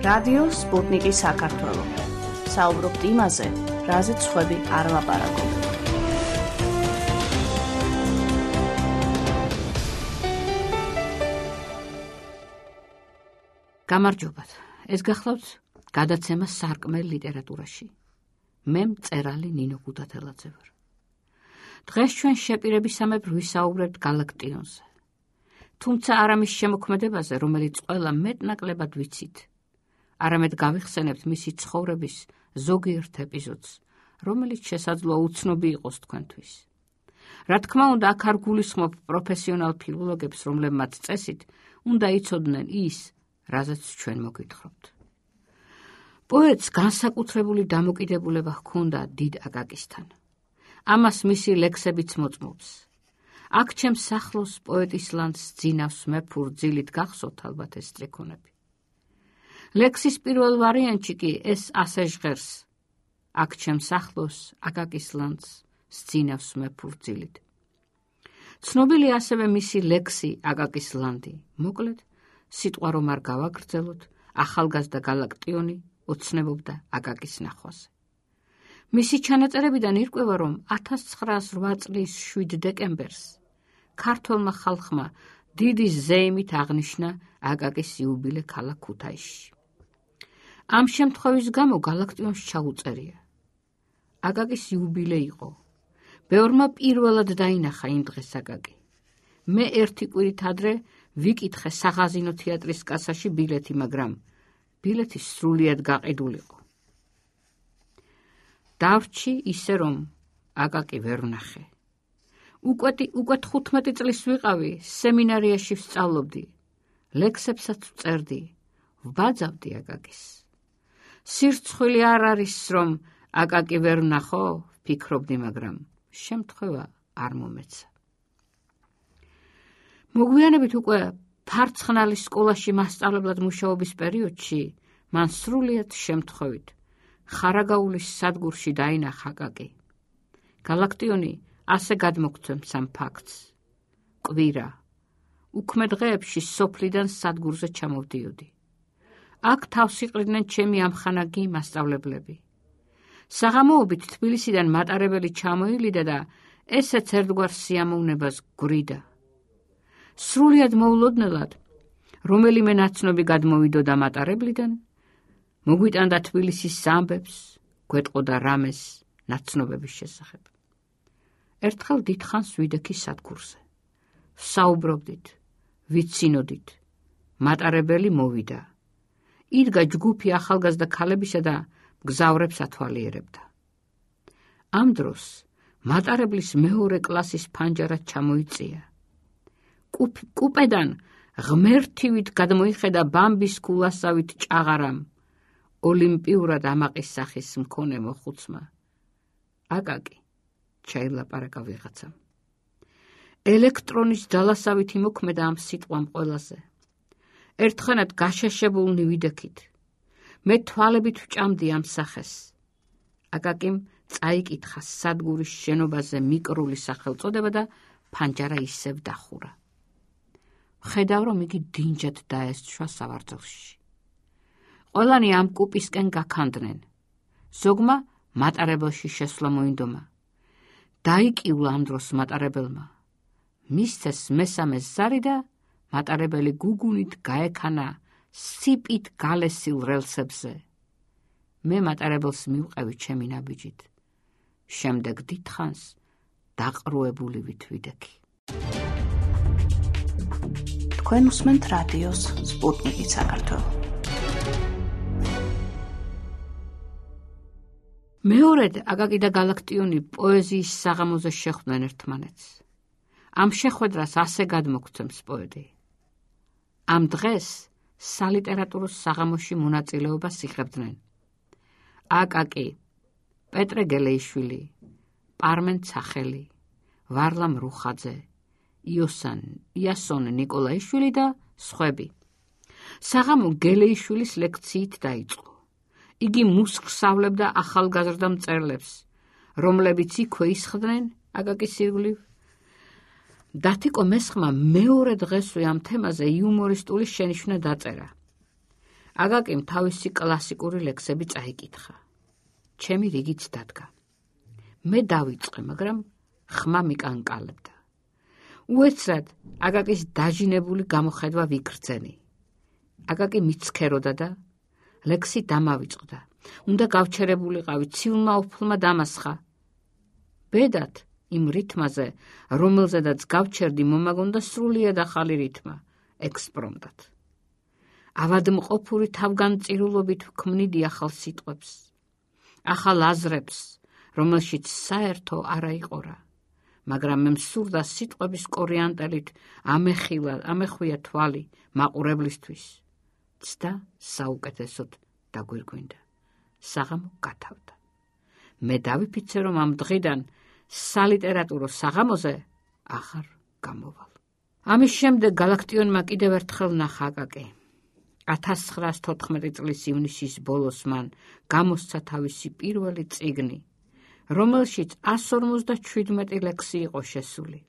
რადიო სპუტნიკი საქართველო. საუბრობთ იმაზე, რაზეც სხვები არ ლაპარაკობენ. გამარჯობათ. ეს გახლავთ გადაცემა სარკმელ ლიტერატურაში. მე მწერალი ნინო გუდათელაძე ვარ. დღეს ჩვენ შეპირებისამებრ ვისაუბრებთ გალაქტიონზე. თუმცა არა მის შემოქმედებაზე, რომელიც ყველა მეტნაკლებად ვიცით. არამედ გავიხსენებთ მისი ცხოვრების ზოგიერთ ეპიზოდს, რომელიც შესაძლოა უცნობი იყოს თქვენთვის. რა თქმა უნდა, აქ არ გულისხმობ პროფესიონალ ფილოლოგებს, რომლებმაც წესით უნდა იცოდნენ ის, რაზეც ჩვენ მოგვითხრობთ. პოეტს განსაკუთრებული დამოკიდებულება ჰქონდა დიდ აკაკისთან. ამას მისი ლექსებიც მოწმობს. აქ ჩემს სახლოს პოეტის ლანდს ძინავს მეფურ ძილით გახსოვთ ალბათ ეს სტრიქონები. ლექსის პირველ ვარიანტში კი ეს ასე ჟღერს: აქ ჩემს სახლოს აკაკის ლანდს ძინავს მეფურ ძილით. ცნობილი ასევე მისი ლექსი აკაკის ლანდი. მოკლედ, სიტყვა რომ არ გავაგრძელოთ, ახალგაზრდა გალაქტიონი ოცნებობდა აკაკის ნახვაზე. მისი ჩანაწერებიდან ირკვევა, რომ 1908 წლის 7 დეკემბერს ქართველმა ხალხმა დიდი ზეიმით აღნიშნა აკაკის იუბილე ქალაქ ქუთაისში. ამ შემთხვევის გამო გალაქტიონს ჩაუწერია. აკაკის იუბილე იყო. ბევრმა პირველად დაინახა იმ დღეს აკაკი. მე ერთი კვირით ადრე ვიკითხე საღაზინო თეატრის კასაში ბილეთი, მაგრამ ბილეთი სრულიად გაყიდულიყო. დავრჩი ისე, რომ აკაკი ვერ ვნახე. უკვე 15 წლის ვიყავი, სემინარიაში ვსწავლობდი, ლექსებსაც ვწერდი, ვბაძავდი აკაკის. სირცხვილი არ არის, რომ აკაკი ვერ ვნახო, ვფიქრობდი, მაგრამ შემთხვევა არ მომეცა. მოგვიანებით უკვე ფარცხნალის სკოლაში მასწავლებლად მუშაობის პერიოდში მან სრულიად შემთხვევით ხარაგაულის სადგურში დაინახა აკაკი. გალაქტიონი ასე გადმოგცემს ამ ფაქტს. კვირა. უქმე დღეებში სოფლიდან სადგურზე ჩამოვდიოდი. აქ თავს იყრიდნენ ჩემი ამხანაგი მასწავლებლები. საღამოობით თბილისიდან მატარებელი ჩამოილიდა და ესეც ერთგვარ სიამოვნებას გვრიდა. სრულიად მოულოდნელად, რომელიმე ნაცნობი გადმოვიდოდა მატარებლიდან, მოგვიტანდა თბილისის ამბებს, გვეტყოდა რამეს ნაცნობების შესახებ. ერთხელ დიდხანს ვიდექი სადგურზე. ვსაუბრობდით, ვიცინოდით, მატარებელი მოვიდა. იდგა ჯგუფი ახალგაზრდა ქალებისა და მგზავრებს ათვალიერებდა. ამ დროს მატარებლის მეორე კლასის ფანჯარა ჩამოიწია. კუპედან ღმერთივით გადმოიხედა ბამბის კულასავით ჭაღარამ, ოლიმპიურად ამაყის სახის მქონე მოხუცმა. აკაკი, ჩაილაპარაკა ვიღაცამ. ელექტრონის ძალასავით იმოქმედა ამ სიტყვამ ყველაზე. ერთხანად გაშაშებულნი ვიდექით. მე თვალებით ვჭამდი ამ სახეს. აკაკიმ წაიკითხა სადგურის შენობაზე მიკრული სახელწოდება და ფანჯარა ისევ დახურა. ხედავ, რომ იგი დინჯად დაესჩვა სავარძელში. ყველანი ამ კუპისკენ გაქანდნენ. ზოგმა მატარებელში შესვლა მოინდომა. დაიკიულა ამ დროს მატარებელმა. მისცეს მესამე ზარი და მატარებელი გუგუნით გაექანა სიპით გალესილ რელსებზე. მე მატარებელს მივყევი ჩემი ნაბიჯით. შემდეგ დიდხანს დაყრუებული ვიდექი. თქვენ უსმენთ რადიოს სპუტნიკი საქართველო. მეორედ აკაკი და გალაქტიონი პოეზიის საღამოზე შეხვდნენ ერთმანეთს. ამ შეხვედრას ასე გადმოგცემს პოეტი. ამ დღეს სალიტერატურო საღამოში მონაწილეობას იღებდნენ აკაკი, პეტრე გელეიშვილი, პარმენ ცახელი, ვარლამ რუხაძე, იასონ ნიკოლაიშვილი და სხვები. საღამო გელეიშვილის ლექციით დაიწყო. იგი მუსხსავლებდა ახალგაზრდა მწერლებს, რომლებიც იქვე ისხდნენ აკაკის ირგვლივ. დათიკო მესხმა მეორე დღესვე ამ თემაზე იუმორისტული შენიშვნა დაწერა. აგაკიმ თავისი კლასიკური ლექსები წაიკითხა. ჩემი რიგიც დადგა. მე დავიწყე, მაგრამ ხმა მიკანკალებდა. უეცრად აგაკის დაჟინებული გამოხედვა ვიგრძენი. აგაკი მიცქეროდა და ლექსი დამავიწყდა. უნდა გავჩერებულიყავი, ციულმა უფლმა დამასხა. ბედად იმ რითმაზე, რომელზედაც გავჩერდი, მომაგონდა სრულიად ახალი რითმა, ექსპრომტად. ავადმყოფური თავგანწირულობით ვქმნიდი ახალ სიტყვებს, ახალ აზრებს, რომელშიც საერთო არა იყორა, მაგრამ მე მსურდა სიტყვების კორიანტელით ამეხვია თვალი მაყურებლისთვის. ცდა საუკეთესოდ დაგვირგვინდა. საღამო გათავდა. მე დავიფიცე, რომ ამ დღიდან სალიტერატურო საღამოზე ახარ გამოვალ. ამის შემდეგ გალაქტიონმა კიდევ ერთხელ ნახა აკაკი. 1914 წლის ივნისის ბოლოს მან გამოსცა თავისი პირველი წიგნი, რომელშიც 157 ლექსი იყო შესული.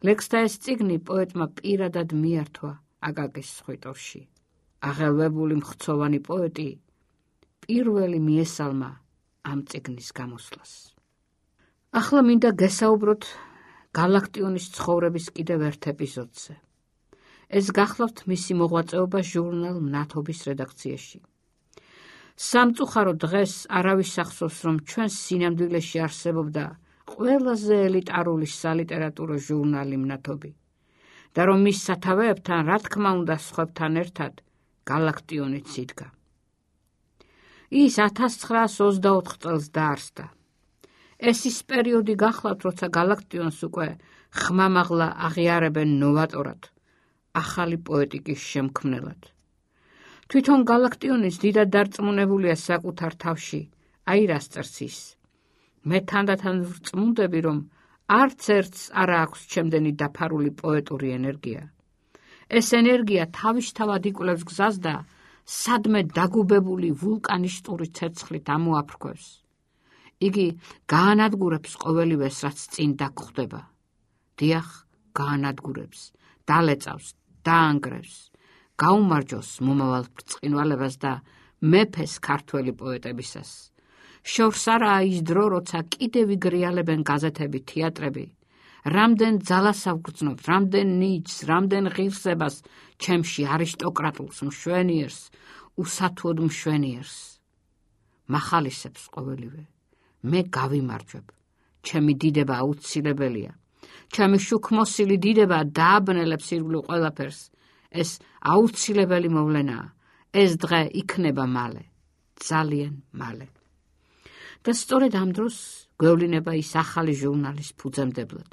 ლექსთა ეს წიგნი პოეტმა პირადად მიართვა აკაკის სხვიტორში. აღელვებული მხცოვანი პოეტი პირველი მიესალმა ამ წიგნის გამოსვლას. ახლა მინდა გესაუბროთ გალაქტიონის ცხოვრების კიდევ ერთ ეპიზოდზე. ეს გახლავთ მისი მოღვაწეობა ჟურნალ მნათობის რედაქციაში. სამწუხარო დღეს არავის ახსოვს, რომ ჩვენს სინამდვილეში არსებობდა ყველაზე ელიტარული სალიტერატურო ჟურნალი მნათობი და რომ მის სათავეებთან, რა თქმა უნდა, სხვებთან ერთად გალაქტიონიც იდგა. ის 1924 წელს დაარსდა. ეს ის პერიოდი გახლავთ, როცა გალაქტიონს უკვე ხმამაღლა აღიარებენ ნოვატორად, ახალი პოეტიკის შემქმნელად. თვითონ გალაქტიონის დიდად დარწმუნებულია საკუთარ თავში, აი რას წერს ის. მე თანდათან ვწმუნდები, რომ არც ერთს არ აქვს ჩემდენი დაფარული პოეტური ენერგია. ეს ენერგია თავისთავად იკვლევს გზას და სადმე დაგუბებული ვულკანისტური ცეცხლით ამოაფრქვევს. იგი გაანადგურებს ყოველივეს, რაც წინ დაგხვდება. დიახ, გაანადგურებს, დალეწავს, დაანგრევს, გაუმარჯოს მომავალ ბრწყინვალებას და მეფეს ქართველი პოეტებისას. შორს არაა ის დრო, როცა კიდევ იგრიალებენ გაზეთები, თეატრები. რამდენ ძალას ავგრძნობთ, რამდენ ნიჭს, რამდენ ღირსებას ჩემში არისტოკრატულს მშვენიერს, უსათუოდ მშვენიერს. მახალისებს ყოველივე. მე გავიმარჯვებ. ჩემი დიდება აუცილებელია. ჩემი შუქმოსილი დიდება დააბნელებს ირგვლივ ყველაფერს. ეს აუცილებელი მოვლენაა. ეს დღე იქნება მალე, ძალიან მალე. და სწორედ ამ დროს გვევლინება ის ახალი ჟურნალის ფუძემდებლად.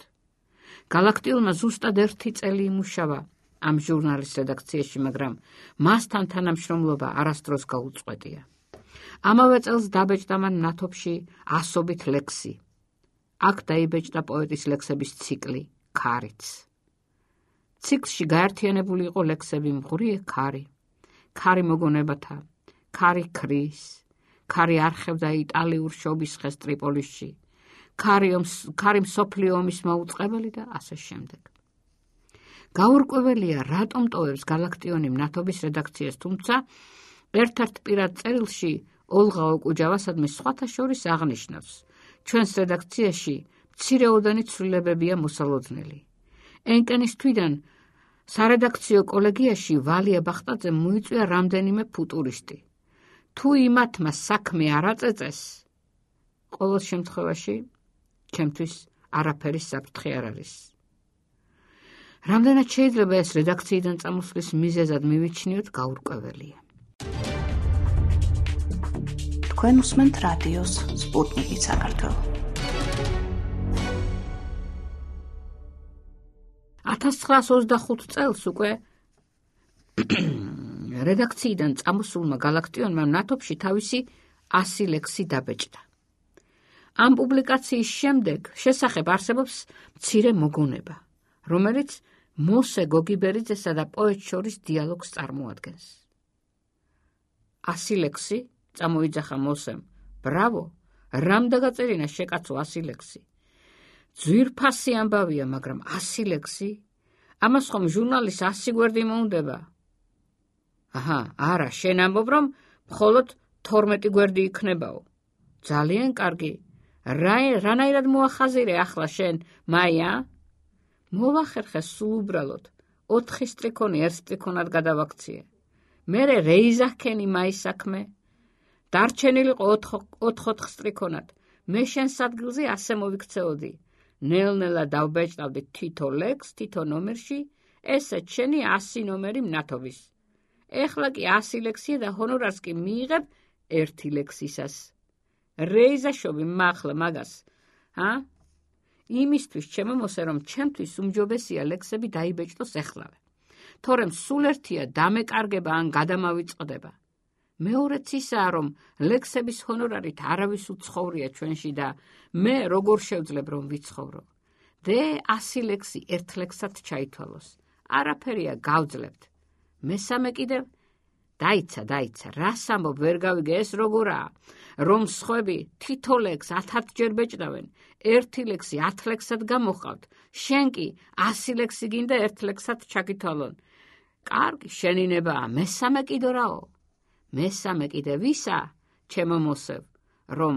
გალაქტიონმა ზუსტად 1 წელი იმუშავა ამ ჟურნალის რედაქციაში, მაგრამ მასთან თანამშრომლობა არასდროს გაუწყვეტია. ამავე წელს დაბეჭდა მან მნათობში 100 ლექსი. აქ დაიბეჭდა პოეტის ლექსების ციკლი ქარიც. ციკლში გაერთიანებული იყო ლექსები მღვრიე ქარი, ქარი მოგონებათა, ქარი ქრის, ქარი არხევდა იტალიურ შობისხეს ტრიპოლისში, ქარი მსოფლიო ომის მოუწყებელი და ასე შემდეგ. გაურკვეველია, რატომ ტოვებს გალაქტიონი მნათობის რედაქციას, თუმცა ერთ-ერთ პირად წერილში ოლღა ოკუჯავასადმე სხვათა შორის აღნიშნავს, ჩვენს რედაქციაში მცირეოდენი ცვლილებებია მოსალოდნელი. ენკენის თვიდან სარედაქციო კოლეგიაში ვალია ბახტაძემ მოიწვია რამდენიმე ფუტურისტი. თუ იმათმა საქმე არ აწეწეს, ყოველ შემთხვევაში ჩემთვის არაფერი საფრთხე არ არის. რამდენად შეიძლება ეს რედაქციიდან წამოსვლის მიზეზად მივიჩნიოთ, გაურკვეველია. თქვენ უსმენთ რადიოს სპუტნიკი საქართველო. 1925 წელს უკვე რედაქციიდან წამოსულმა გალაქტიონმა მნათობში თავისი 100 ლექსი დაბეჭდა. ამ პუბლიკაციის შემდეგ შესახებ არსებობს მცირე მოგონება, რომელიც მოსე გოგიბერიძესა და პოეტს შორის დიალოგს წარმოადგენს. 100 ლექსი წამოიძახა მოსემ. ბრავო, რამ დაგაწერინა შეკაცო 100 ლექსი. ძვირფასი ამბავია, მაგრამ 100 ლექსი? ამას ხომ ჟურნალის 100 გვერდი მოუნდება? არა, შენ ამბობ, რომ მხოლოდ 12 გვერდი იქნებაო. ძალიან კარგი. რანაირად მოახაზირე ახლა შენ, მაია? მოვახერხე სულ უბრალოდ. 4 სტრიქონი 1 სტრიქონად გადავაქციე. მერე რეიზახქენი მაის საქმე. დარჩენილიყო 4 სტრიქონად. მე შენს ადგილზე ასე მოვიქცეოდი. ნელ-ნელა დავბეჭდავდი თითო ლექსს თითო ნომერში, ესეც შენი 100 ნომერი მნათობის. ეხლა კი 100 ლექსია და ჰონორარს კი მიიღებ 1 ლექსისას. რეიზაშობი მახლა მაგას, იმისთვის ჩემომოსე, რომ ჩემთვის უმჯობესია ლექსები დაიბეჭდოს ეხლავე. თორემ სულ ერთია დამეკარგება ან გადამავიწყდება. მეორეც ისაა, რომ ლექსების ჰონორარით არავის უცხოვრია ჩვენში და მე როგორ შევძლებ რომ ვიცხოვრო. დე 100 ლექსი 1 ლექსად ჩაითვალოს. არაფერია გავძლებთ. მესამე კიდევ დაიცა, რას ამბობ, ვერ გავიგე, ეს როგორაა, რომ სხვები თითო ლექსს 1000-ჯერ ბეჭდავენ, 1 ლექსი 10 ლექსად გამოჰყავთ, შენ კი 100 ლექსი გინდა 1 ლექსად ჩაგითვალონ. კარგი, შენინებაა, მესამე კიდო რაო? მესამე კიდე ვისა, ჩემო მოსევ, რომ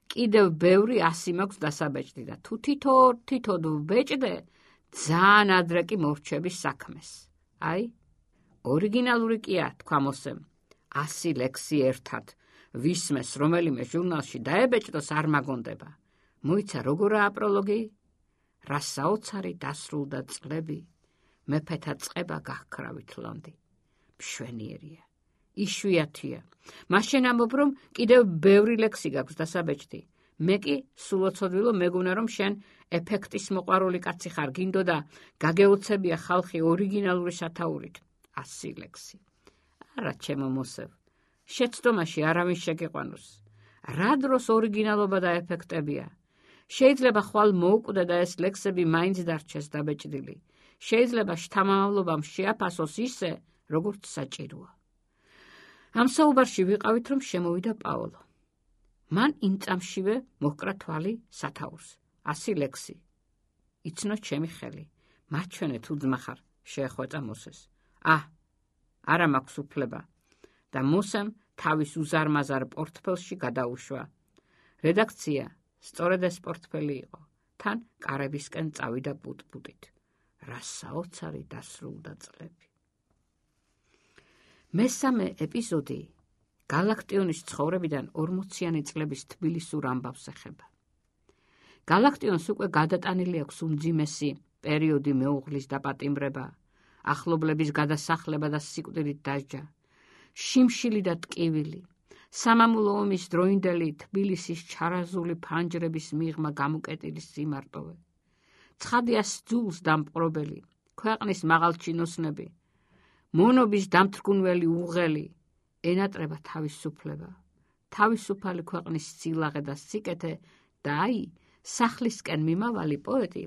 კიდევ ბევრი 100 მაქვს დასაბეჭდი და თუ თითოდ ვბეჭდე, ძალიან ადრე კი მორჩები საქმეს. აი, ორიგინალური კია, თქვა მოსემ, 100 ლექსი ერთად, ვისმეს რომელიმე ჟურნალში დაებეჭდოს არ მაგონდება. მოიცა როგორაა პროლოგი? რა საოცარი დასრულდა წლები, მეფეთა წყება გახკრავით ლონდი. მშვენიერია, იშვიათია. მაშინ ამბობ, რომ კიდევ ბევრი ლექსი გაქვს დასაბეჭდი. მე კი სულოცოდვილო მეგონა, რომ შენ ეფექტის მოყვარული კაცი ხარ, გინდო და გაგეოცებია ხალხი ორიგინალური სათაურით. 100 ლექსი. არა, ჩემო მოსევ, შეცდომაში არავინ შეგიყვანოს. რა დროს ორიგინალობა და ეფექტებია? შეიძლება ხვალ მოუკვდე და ეს ლექსები მაინც დარჩეს დაბეჭდილი. შეიძლება შთამამავლობამ შეაფასოს ისე, როგორც საჭიროა. ამ საუბარში ვიყავით, რომ შემოვიდა პაოლო. მან იმ წამშივე მოჰკრა თვალი სათაურს. 100 ლექსი. იცნო ჩემი ხელი. მარჩვენე თუ ძმა ხარ, შეეხვეწა მოსეს. არა მაქვს უფლება და მოსემ თავის უზარმაზარ პორტფელში გადაუშვა. რედაქცია სწორედ ეს პორტფელი იყო. თან კარებისკენ წავიდა პუტ-პუტით. რა საოცარი დასრულდა წლები. მესამე ეპიზოდი გალაქტიონის ცხოვრებიდან 40-იანი წლების თბილისურ ამბავს ეხება. გალაქტიონს უკვე გადატანილი აქვს უმძიმესი პერიოდი მეუღლის დაპატიმრება, ახლობლების გადასახლება და სიკვდილით დასჯა, შიმშილი და ტკივილი, სამამულო ომის დროინდელი თბილისის ჩარაზული ფანჯრების მიღმა გამუკეტილი სიმარტოვე, ცხადიას ძულს დამპყრობელი, ქვეყნის მაღალჩინოსნები, მონობის დამთრგუნველი უღელი, ენატრება თავისუფლება, თავისუფალი ქვეყნის სილაღე და სიკეთე და აი, სახლისკენ მიმავალი პოეტი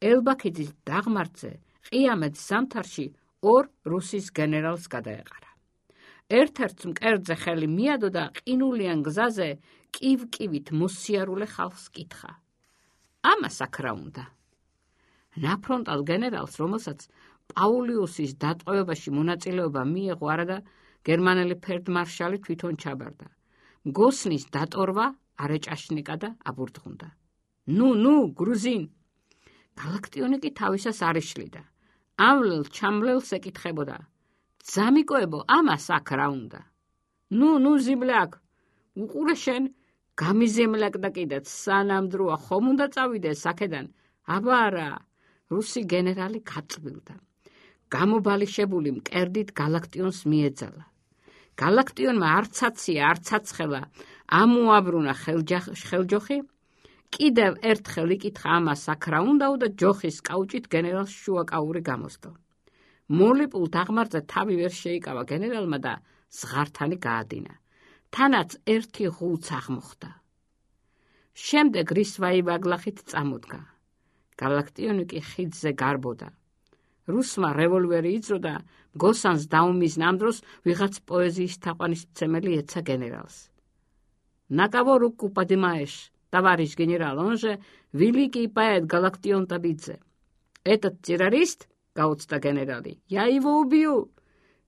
ელბაქიძის დაღმართზე ყიამეთ ზამთარში 2 რუსის გენერალს გადაეყარა. ერთ-ერთს მკერდზე ხელი მიადო და ყინულიან გზაზე კივ-კივით მოსიარულე ხალხს კითხა. ამას აქ რა უნდა? ნაფრონტალ გენერალს, რომელსაც პაულიუსის დატყვევებაში მონაწილეობა მიიღო არადა გერმანელი ფელდმარშალი თვითონ ჩაბარდა. მგოსნის დატორვა არეჭაშნიკა და აბურდღუნდა. ნუ, გრუზინ! გალაქტიონი კი თავისას არ იშლიდა. ამლელ ჩამლელს ეკითხებოდა. ძამიკოებო, ამას აქ რა უნდა? ნუ, ზიბლაკ, უყურე შენ, გამიზემლაკ და კიდეც სანამ დროა ხომ უნდა წავიდეს აქედან? აბა არა, რუსი გენერალი გაწბილდა. გამობალიშებული მკერდით გალაქტიონს მიეძალა. გალაქტიონმა არც აცია, არც აცხელა, ამოაბრუნა ხელჯოხი, კიდევ ერთხელ იკითხა ამას აქ რა უნდაო და ჯოხის კაუჭით გენერალს შუაკაური გამოსდო. მოლიპულ დაღმართზე თავი ვერ შეიკავა გენერალმა და ზღართანი გაადინა. თანაც ერთი ღულც აღმოხდა. შემდეგ რისვაივაგლახით წამოდგა. გალაქტიონი კი ხიდზე გარბოდა. რუსმა რევოლვერი იძრო და მგოსანს დაუმიზნა. ამ დროს ვიღაც პოეზიის თაყვანისმცემელი ეცა გენერალს. На кого руку поднимаешь, товарищ генерал, он же великий поэт Галактион Табидзе. Этот террорист, гаутста генерали, я его убью.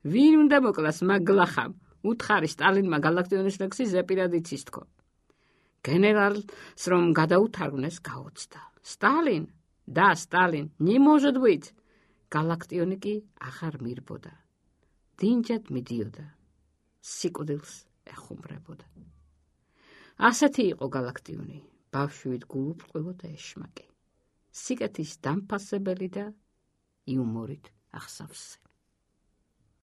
ვინ უნდა მოკლას მაგლახამ? უთხარი სტალინმა გალაქტიონის ლექსი ზეპირად იცის თქო. გენერალს რომ გადაუთარგმნეს გაოცდა. სტალინ, не может быть. გალაქტიონი კი აღარ მირბოდა. დინჯად მიდიოდა. სიკვდილს ეხუმრებოდა. ასეთი იყო გალაქტიონი, ბავშვით გულუბრყვილო და ეშმაკი. სიკეთის დამფასებელი და იუმორით ახსავსე.